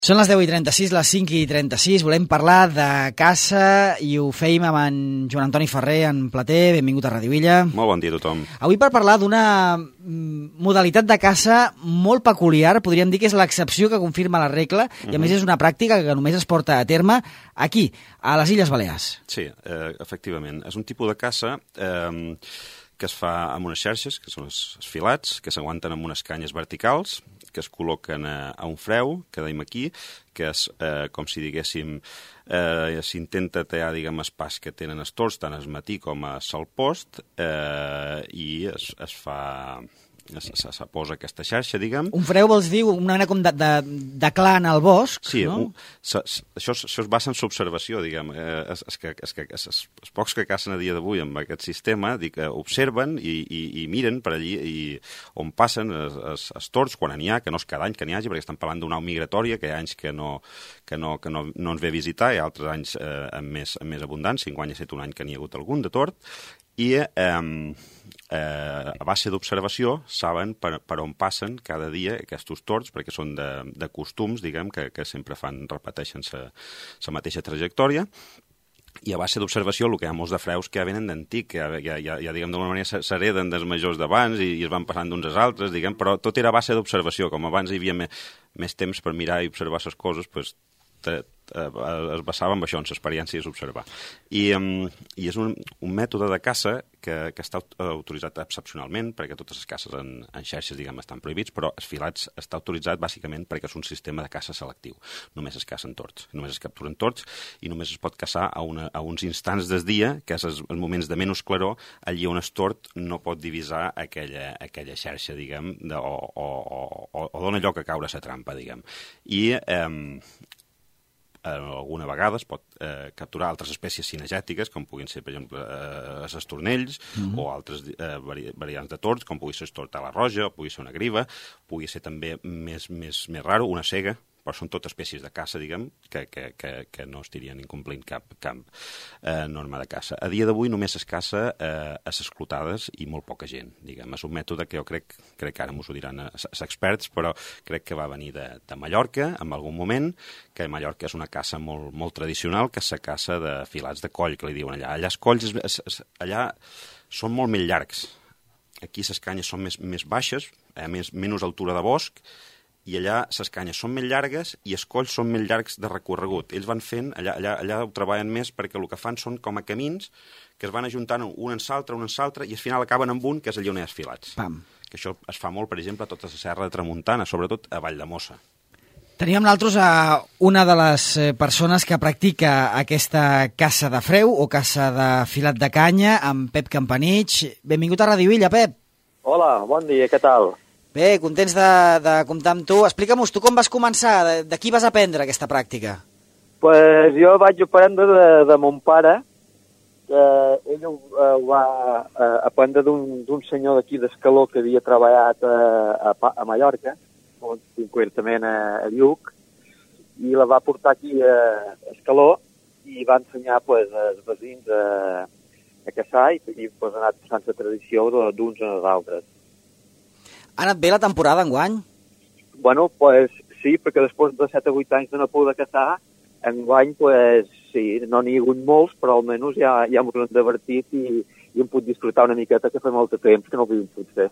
Són les 10:36, les 5:36. Volem parlar de caça i ho feim amb en Joan Antoni Ferrer, en Plater. Benvingut a Ràdio Illa. Molt bon dia a tothom. Avui per parlar d'una modalitat de caça molt peculiar, podríem dir que és l'excepció que confirma la regla, i a més és una pràctica que només es porta a terme aquí, a les Illes Balears. Sí, efectivament. És un tipus de caça que es fa amb unes xarxes, que són els filats, que s'aguanten amb unes canyes verticals, que es col·loquen a un freu, que deim aquí, que és com si diguéssim, s'intenta tallar, diguem, espais que tenen els tords, tant al matí com a sol post, i es fa... se posa aquesta xarxa, diguem. Un freu vols dir una mena com de clan al bosc, sí, no? Això es basa en l'observació, diguem. Els pocs que cacen a dia d'avui amb aquest sistema observen i miren per allí on passen els tords, quan n'hi ha, que no és cada any que n'hi hagi, perquè estan parlant d'una au migratòria, que hi ha anys que no ens ve a visitar, i altres anys amb més abundància. Enguany ha estat un any que n'hi ha hagut algun de tord, i a base d'observació saben per on passen cada dia aquests tords, perquè són de costums, diguem, que sempre repeteixen la mateixa trajectòria, i a base d'observació el que hi ha molts de freus que ja venen d'antic, que ja diguem, d'alguna manera s'hereden dels majors d'abans i es van passant d'uns als altres, diguem, però tot era a base d'observació. Com abans hi havia més temps per mirar i observar les coses, doncs es basava en això, en l'experiència d'observar. I és un mètode de caça que està autoritzat excepcionalment, perquè totes les caces en xarxes, diguem, estan prohibits, però els filats està autoritzat bàsicament perquè és un sistema de caça selectiu. Només es cacen tords, només es capturen tords, i només es pot caçar a uns instants del dia, que és els moments de menys claror, allí on el tord no pot divisar aquella xarxa, diguem, o dona lloc a caure la trampa, diguem. I alguna vegada es pot capturar altres espècies cinegètiques, com puguin ser, per exemple, els estornells, o altres variants de tords, com pugui ser el tord a la roja, o pugui ser una griva, pugui ser també més raro, una cega, però són totes espècies de caça, diguem, que no estarien incomplint cap norma de caça. A dia d'avui només es caça a les esclotades i molt poca gent, diguem. És un mètode que jo crec que ara m'ho diran els experts, però crec que va venir de Mallorca en algun moment, que Mallorca és una caça molt tradicional, que és la caça de filats de coll, que li diuen allà. Allà els colls allà són molt més llargs. Aquí les canyes són més baixes, menys altura de bosc, i allà les canyes són més llargues i els colls són més llargs de recorregut. Ells van fent, allà ho treballen més perquè el que fan són com a camins que es van ajuntant un en l'altre, i al final acaben amb un, que és allà on hi ha els filats. Pam. Que això es fa molt, per exemple, a tota la serra de Tramuntana, sobretot a Valldemossa. Teníem nosaltres a una de les persones que practica aquesta caça de freu o caça de filat de canya, amb Pep Campanich. Benvingut a Ràdio Illa, Pep. Hola, bon dia, què tal? Bé, contents de comptar amb tu. Explica'm-nos, tu com vas començar? De qui vas aprendre aquesta pràctica? Pues jo vaig aprendre de mon pare, que ell ho va aprendre d'un senyor d'aquí d'Escaló que havia treballat a Mallorca, concretament a Lluc, i la va portar aquí a Escaló i va ensenyar als veïns a caçar i ha anat passant la tradició d'uns als altres. Ha anat bé la temporada enguany? Bueno, pues sí, perquè després de 7 o 8 anys de no poder caçar, enguany, pues sí, no n'hi ha hagut molts, però almenys ja m'ho hem divertit i hem pogut disfrutar una miqueta, que fa molt de temps que no ho havíem pogut fer.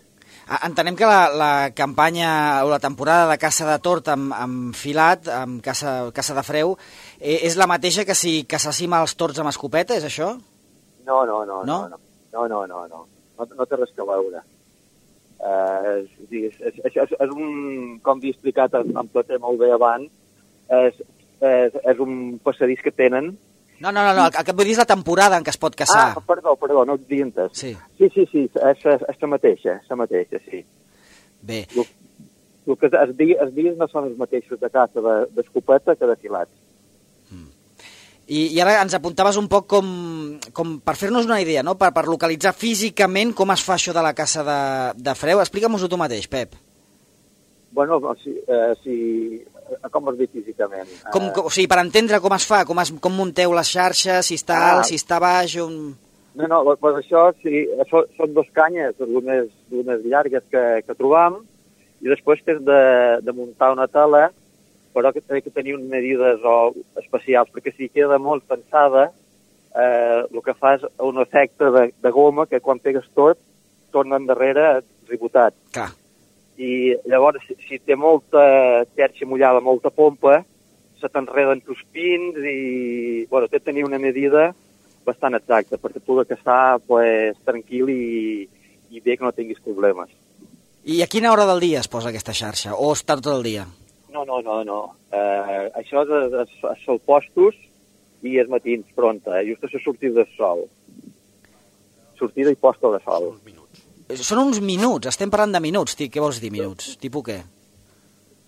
Entenem que la campanya o la temporada de caça de tord amb filat, amb caça de freu, és la mateixa que si caçàssim els tords amb escopeta, és això? No. No té res a veure. És un, com havia explicat en Plater molt bé abans, és un passadís que tenen. No, el que et vull dir és la temporada en què es pot caçar. Perdó, no et havia entès. Sí, és la mateixa, sí. Bé. El que els dies no són els mateixos de caça d'escopeta que de filats. I ara ens apuntaves un poc com per fer-nos una idea, no? Per localitzar físicament com es fa això de la caça de freu. Explica'm-ho tu mateix, Pep. Bueno, com es diu físicament? O sigui, per entendre com es fa, com munteu les xarxes, si està alt, si està baix... No, pues això sí, són dos canyes, unes llargues que trobam, i després tens de muntar una tela però que té que tenir unes medides especials, perquè si queda molt tensada, el que fa és un efecte de goma que quan pegues tot, torna endarrere ribotat. Clar. I llavors, si té molta xerxa mullada, molta pompa, se t'enreden tus pins i, bueno, té de tenir una medida bastant exacta perquè pugui caçar pues, tranquil i bé que no tinguis problemes. I a quina hora del dia es posa aquesta xarxa? O està tot el dia? No. Això és sol postos i és matins, pronta, just a la sortida del sol. Sortida i posta de sol. Són uns minuts, estem parlant de minuts. Què vols dir, minuts? Tipus què?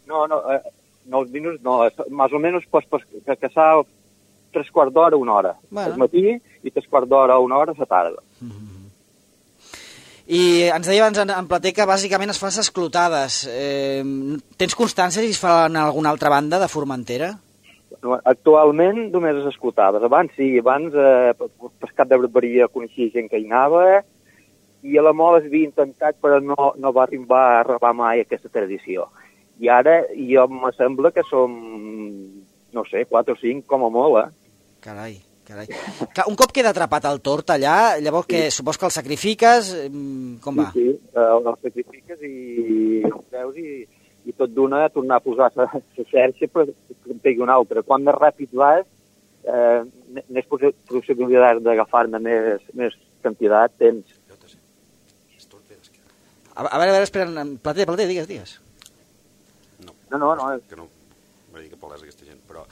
No, els minuts no, més o menys pots caçar 3/4 d'hora, 1 hora. Bueno. Al matí i 3/4 d'hora, 1 hora a la tarda. I ens deia abans en Plater que bàsicament es fan esclotades. Tens constància si es fan a alguna altra banda de Formentera? Actualment només és esclotades. Abans sí, pescat de barberia coneixia gent que hi anava i a la Mola es havia intentat però no va arribar mai aquesta tradició. I ara jo me sembla que som, no sé, 4 o 5 com a molt, Carai. Clar, un cop queda atrapat el tord allà, llavors que supos que el sacrifiques, com va? Sí, el sacrifiques i el treus i tot d'una tornar a posar la xerxa per que en pegui una altra. Quan més ràpid vas, més possibilitats d'agafar-ne més quantitat tens. A veure, espera, Plater, digues. No. Que no m'ha dit que parlés aquesta gent, però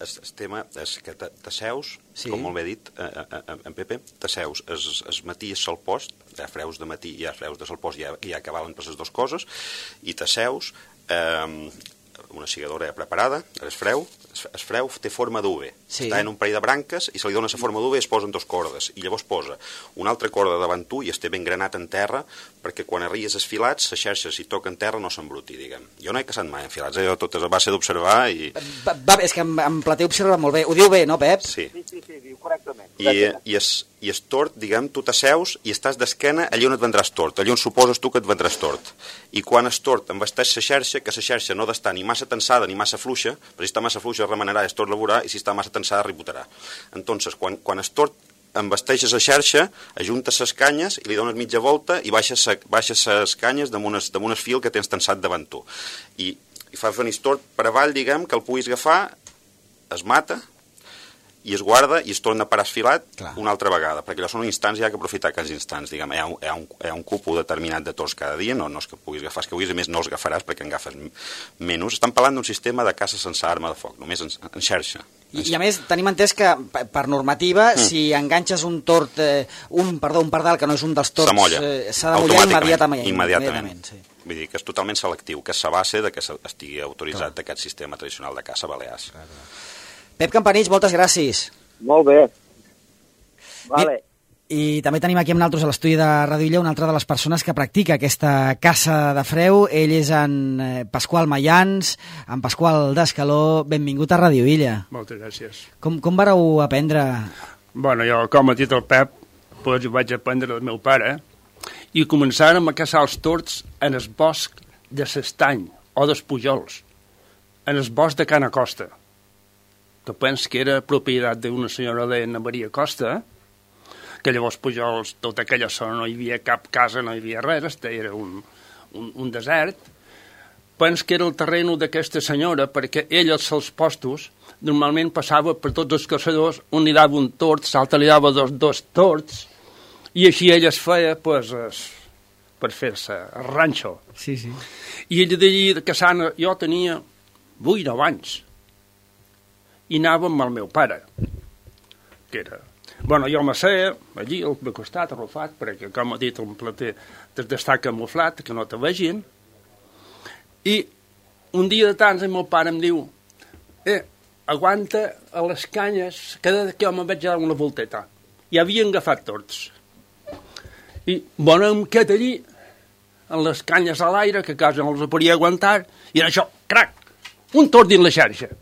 el tema és que t'asseus, sí. Com molt bé dit en Pepe, t'asseus, es matí és sol post, hi ha freus de matí i hi ha freus de sol post, hi ha que valen per les dues coses, i t'asseus, una segadora preparada, el freu té forma d'UV, sí. Està en un parell de branques i se li dona la forma d'UV i es posen 2 cordes, i llavors posa una altra corda davant tu i es té ben granat en terra perquè quan arries els filats, la xarxa si toca en terra no s'embruti, diguem. Jo no he caçat mai en filats, jo tot és a base d'observar i... És que en Plater observa molt bé, ho diu bé, no, Pep? Sí, diu correctament. I es tord, diguem, tu t'asseus i estàs d'esquena allà on et vendràs tord, allà on suposes tu que et vendràs tord. I quan es tord embasteix la xarxa, que la xarxa no ha d'estar ni massa tensada ni massa fluixa, però si està massa fluixa remenarà i es tord laborar, i si està massa tensada ribotarà. Entonces, quan es tord embasteixes la xarxa, ajuntes les canyes i li dones mitja volta i baixes les canyes damunt el fil que tens tensat davant tu. I fas venir tord per avall, diguem, que el puguis agafar, es mata, i es guarda i es torna a parar esfilat una altra vegada, perquè allò són instants, hi ha que aprofitar aquests instants, diguem, hi ha un cupo determinat de tords cada dia, no és que puguis agafar, és que vulguis, a més no els agafaràs perquè en agafes menys. Estan parlant d'un sistema de caça sense arma de foc, només en xarxa. I a més tenim entès que per normativa, si enganxes un tord, un pardal que no és un dels tords, s'ha de mullar immediatament. Sí. Vull dir que és totalment selectiu, que és la base de que estigui autoritzat aquest sistema tradicional de caça a Balears. Pep Campanich, moltes gràcies. Molt bé. Vale. I també tenim aquí amb nosaltres a l'estudi de Ràdio Illa una altra de les persones que practica aquesta caça de freu. Ell és en Pasqual Mayans, en Pasqual d'Escaló. Benvingut a Ràdio Illa. Moltes gràcies. Com vareu aprendre? Bueno, jo, com ha dit el Pep, doncs vaig aprendre del meu pare i començàrem a caçar els tords en el bosc de l'Estany o dels Pujols, en el bosc de Cana Costa, que penso que era propietat d'una senyora d'Anna Maria Costa, que llavors Pujols, tota aquella zona no hi havia cap casa, no hi havia res, era un desert. Penso que era el terreny d'aquesta senyora, perquè ella als seus postos normalment passava per tots els caçadors, un li dava un tord, l'altre li dava dos tords, i així ella es feia per fer-se el ranxo. Sí. I ella d'allí caçant, jo tenia 8 o 9 anys, i anava amb el meu pare, que era... Bueno, jo m'asseia allí, al meu costat, arrufat, perquè, com ha dit el Plater, d'estar camuflat, que no te vegin, i un dia de tants el meu pare em diu aguanta a les canyes, cada que jo me'n vaig dar una volteta. I havien agafat tords. I, bueno, em quedat allí, amb les canyes a l'aire, que quasi no els podia aguantar, i en això, crac, un tord dins la xarxa.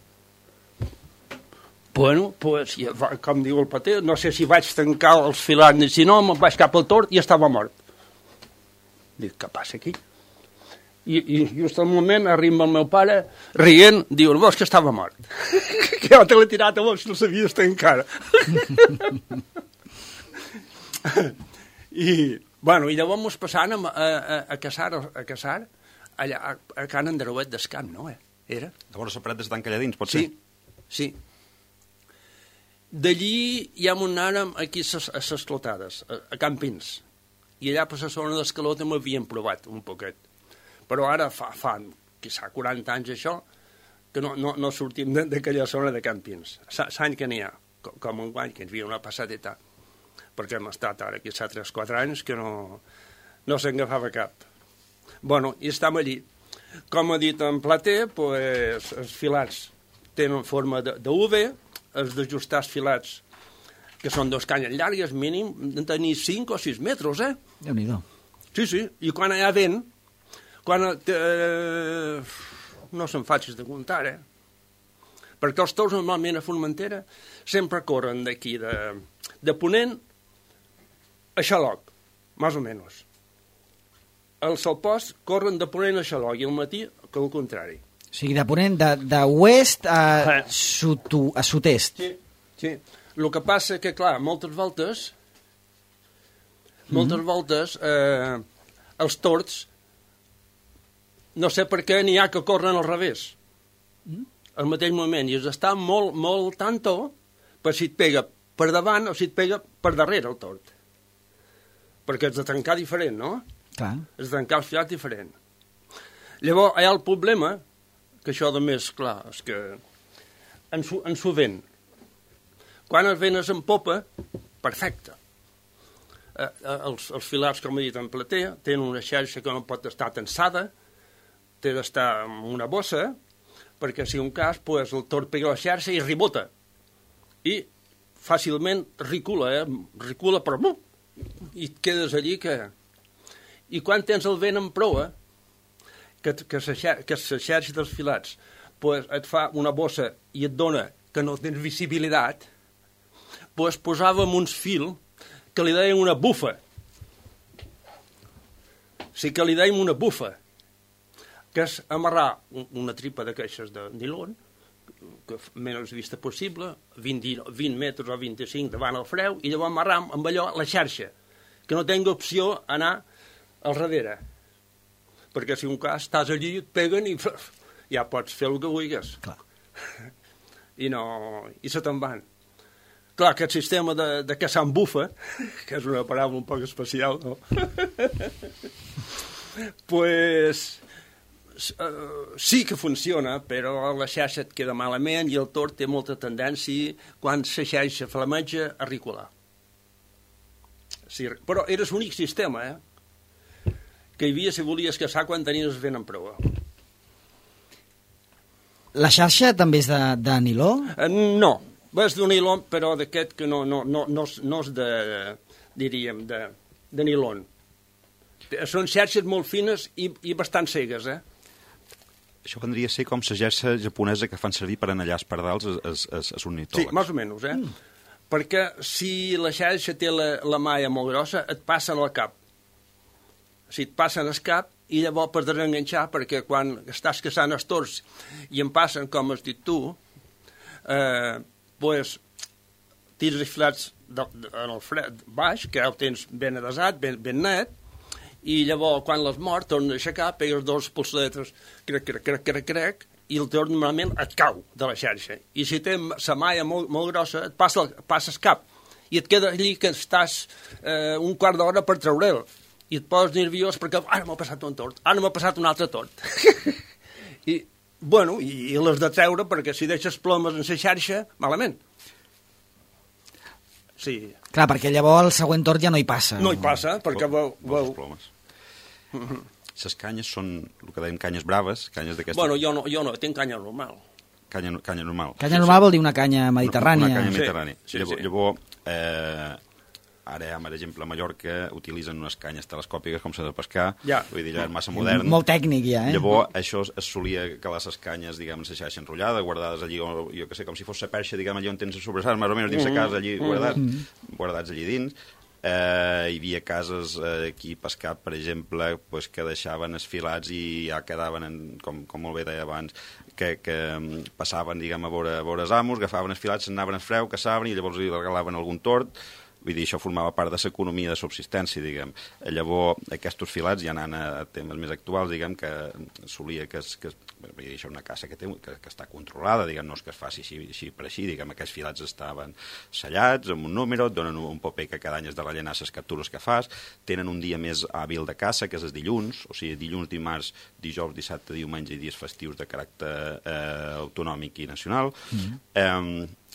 Bueno, pues, com diu el Plater, no sé si vaig tancar els filats ni si no, me'n vaig cap al tord i estava mort. Dic, què passa aquí? I just al moment arriba el meu pare, rient, diu, el bosc estava mort. Que jo te l'he tirat a vos, no sabies estar encara. I llavors mos passàvem a caçar allà a Can Andreuet d'Escamp, no? Era? Llavors la paret d'estar encalladins, pot ser? Sí. D'allí ja m'ho anàrem aquí a les clotades, a Campins. I allà per la zona d'Escaló també havíem provat un poquet. Però ara fa quizà 40 anys això, que no sortim d'aquella zona de Campins. L'any que n'hi ha, com un guany, que ens havia una passadeta, perquè hem estat ara aquí 3-4 anys que no se'n agafava cap. I estem allí. Com ha dit en Plater, els filats tenen forma de V, els d'ajustar els filats, que són 2 canyes llargues, mínim, de tenir 5 o 6 metres, Déu-n'hi-do. Sí, i quan hi ha vent, no se'n facis de comptar, perquè els tous normalment a Formentera sempre corren d'aquí, de Ponent a Xaloc, més o menys. Els salpots corren de Ponent a Xaloc i al matí que al contrari. O sigui, de Ponent, d'oest a sud-est. Sí. El que passa que, clar, moltes voltes els tords no sé per què n'hi ha que corren al revés al mateix moment i es està molt tanto per si et pega per davant o si et pega per darrere el tord, perquè has de tancar diferent, no? Clar. Has de tancar el filat diferent. Llavors hi ha el problema que això de més, clar, és que ens ho ven. Quan el vent és en popa, perfecte. Els filats, com he dit en Plater, tenen una xarxa que no pot estar tensada, té d'estar en una bossa, perquè si un cas, el tord pega la xarxa i rebota. I fàcilment recula però i et quedes allí que... I quan tens el vent en proa, que la xarxa dels filats et fa una bossa i et dona que no tens visibilitat, posàvem uns fils que li deien una bufa. Sí que li deien una bufa, que és amarrar una tripa de queixes de nilon, que menys vista possible, 20 metres o 25 davant el freu, i llavors amarrar amb allò la xarxa, que no tingui opció anar al darrere. Perquè si un cas estàs allí, et peguen i ja pots fer el que vulguis. Clar. I se te'n van. Clar, aquest sistema de caçar amb bufa, que és una paraula un poc especial, no? Sí que funciona, però la xarxa et queda malament i el tord té molta tendència, quan la xarxa flameja, a recular. Sí, però era l'únic sistema, que hi havia si volies caçar quan tenies vent en proa. La xarxa també és de niló? No, és d'un niló, però d'aquest que no és de, diríem, de nilon. Són xarxes molt fines i bastant cegues, Això vendria a ser com la xarxa japonesa que fan servir per anar allà als pardals als ornitòlegs. Sí, més o menys, Perquè si la xarxa té la malla molt grossa, et passen al cap. Si et passen al cap, i llavors per desenganxar, perquè quan estàs caçant els tords i em passen, com has dit tu, tires els filats en el fred baix, que el tens ben adesat, ben net, i llavors quan l'has mort tornes a aixecar, pegues 2 polsetes, crec, i el tord normalment et cau de la xarxa. I si té la malla molt grossa, et passes cap, i et queda allí que estàs un quart d'hora per treure'l, i et poses nerviós perquè ara m'ha passat un tord, ara m'ha passat un altre tord. I l'has de treure perquè si deixes plomes en la xarxa, malament. Sí. Clar, perquè llavors el següent tord ja no hi passa. No hi passa, perquè veu... plomes. Les canyes són, el que dèiem, canyes braves, canyes d'aquestes... Bueno, jo no, tinc canya normal. Canya normal. Canya normal vol dir una canya mediterrània. Una canya mediterrània. Sí. Llavors, ara, per exemple, a Mallorca utilitzen unes canyes telescòpiques com s'ha de pescar, vull dir, ja és massa modern. Molt tècnic, ja, Llavors, això es solia calar les canyes, diguem, en la xarxa enrotllada, guardades allí, o jo què sé, com si fos la perxa, diguem, allà on tens les sobrassades, més o menys dins la casa, allí guardats allí dins, Hi havia cases aquí a Pescat, per exemple, pues, que deixaven esfilats i ja quedaven, com molt bé deia abans, que passaven, diguem, a veure els amos, agafaven esfilats, s'anaven a freu, caçaven i llavors li regalaven algun tord. Vull dir, això formava part de l'economia de subsistència, diguem. Llavors, aquests filats, ja anant a temes més actuals, diguem, que solia que vull dir, això és una caça que està controlada, diguem, no és que es faci així per així, diguem, aquests filats estaven sellats amb un número, et donen un paper que cada any has de rellenar les captures que fas, tenen un dia més hàbil de caça, que és el dilluns, o sigui, dilluns, dimarts, dijous, dissabte, diumenge i dies festius de caràcter autonòmic i nacional.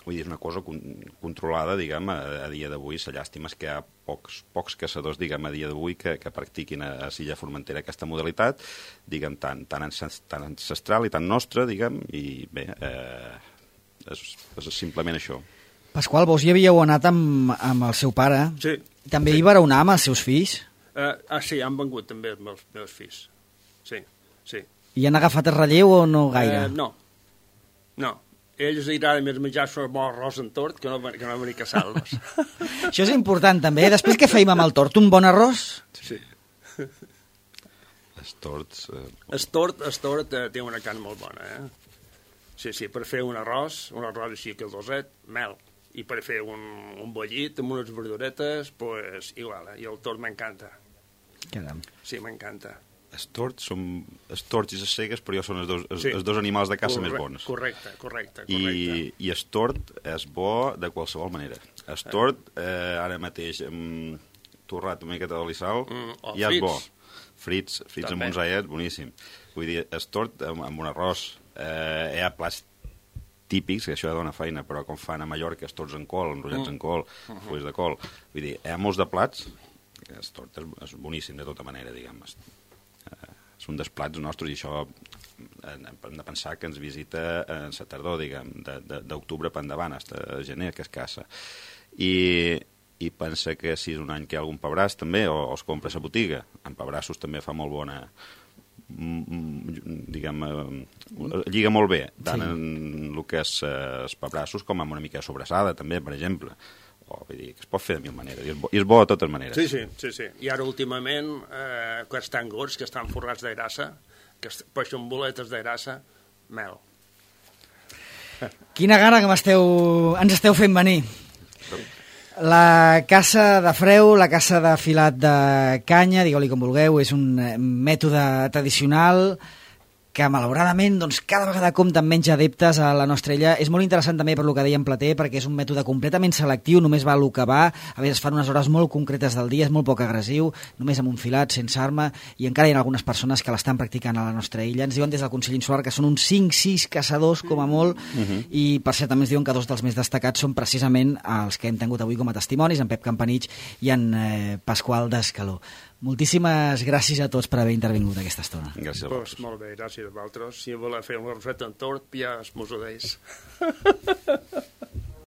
Vull dir, és una cosa controlada, diguem, a dia d'avui. La llàstima és que hi ha pocs caçadors, diguem, a dia d'avui que practiquin a l'illa Formentera aquesta modalitat, diguem, tan ancestral i tan nostra, diguem, i bé, és simplement això. Pasqual, vos hi havíeu anat amb el seu pare. Sí. També hi vareu anar amb els seus fills? Sí, han vengut també els meus fills. Sí. I han agafat el relleu o no gaire? No. Ells li agrada més menjar-se un bon arròs en tort que no venir a caçar-los. Això és important, també. Després què feim amb el tort? Un bon arròs? Sí. Els torts... El tort té una carn molt bona, Sí, per fer un arròs així que el doset, mel. I per fer un bollit amb unes verduretes, pues igual, i el tort m'encanta. Caram. Sí, m'encanta. Els torts i les cegues, però són els dos animals de caça més bons. Correcte. I el tort és bo de qualsevol manera. El tort, ara mateix, torrat una miqueta d'oli i sal, ja és bo. Frits amb uns aiets, boníssim. Vull dir, el tort amb un arròs. Hi ha plats típics, que això dona feina, però com fan a Mallorca, els torts en col, enrotllats en col, fulls de col. Vull dir, hi ha molts de plats, el tort és boníssim de tota manera, diguem. És un dels plats nostres i això hem de pensar que ens visita en la tardor, diguem, d'octubre per endavant, fins a gener, que es caça. I pensa que si és un any que hi ha algun pebràs també, o es compra a la botiga, en pebrassos també fa molt bona, diguem, lliga molt bé, tant en el que és els pebrassos com amb una mica de sobrassada també, per exemple. Vull dir, que es pot fer de mil maneres, i és bo de totes maneres. Sí. I ara últimament, aquests tangors que estan forrats de grassa, que peixen boletes de grassa, mel. Quina gana que ens esteu fent venir. La caça de freu, la caça de filat de canya, digueu-li com vulgueu, és un mètode tradicional que malauradament doncs, cada vegada compta amb menys adeptes a la nostra illa. És molt interessant també per lo que deia en Plater, perquè és un mètode completament selectiu, només va el que va, a vegades es fan unes hores molt concretes del dia, és molt poc agressiu, només amb un filat, sense arma, i encara hi ha algunes persones que l'estan practicant a la nostra illa. Ens diuen des del Consell Insular que són uns 5-6 caçadors, com a molt, i per cert també ens diuen que dos dels més destacats són precisament els que hem tingut avui com a testimonis, en Pep Campanich i en Pasqual Descaló. Moltíssimes gràcies a tots per haver intervingut aquesta estona. Gràcies a vosaltres. Pues molt bé, gràcies a vosaltres. Si voleu fer una roseta en tort, ja es mos ho deis.